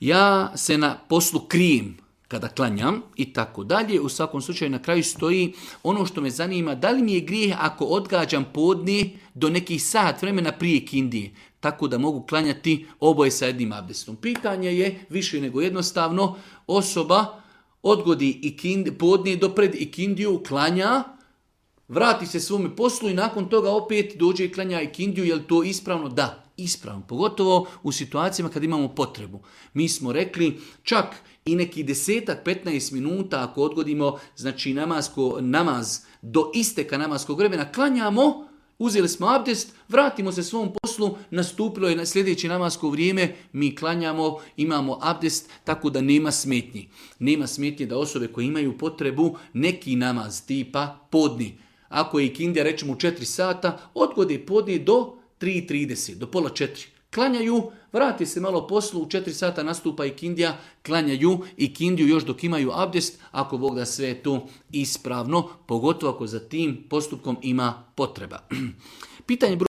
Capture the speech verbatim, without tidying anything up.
ja se na poslu krijem kada klanjam i tako dalje. U svakom slučaju na kraju stoji ono što me zanima, da li mi je grijeh ako odgađam podne do nekih sat vremena prije kindije, tako da mogu klanjati oboje sa jednim abdestom. Pitanje je više nego jednostavno, osoba odgodi ikindi, podne do pred ikindiju, klanja, vrati se svome poslu i nakon toga opet dođe i klanja ikindiju. Je li to ispravno? Da, ispravno. Pogotovo u situacijama kad imamo potrebu. Mi smo rekli čak i neki desetak, petnaest minuta ako odgodimo znači namasko, namaz do isteka namaskog vremena, klanjamo, uzeli smo abdest, vratimo se svom poslu, nastupilo je na sljedeće namasko vrijeme, mi klanjamo, imamo abdest, tako da nema smetnji. Nema smetnje da osobe koje imaju potrebu neki namaz tipa podni. Ako je ikindija recimo u četiri sata, odgode podne do tri i trideset, do pola četiri. Klanjaju, vrati se malo poslu, u četiri sata nastupa ikindija, klanjaju ikindiju još dok imaju abdest, ako Bog da sve je to ispravno, pogotovo ako za tim postupkom ima potreba. Pitanje broj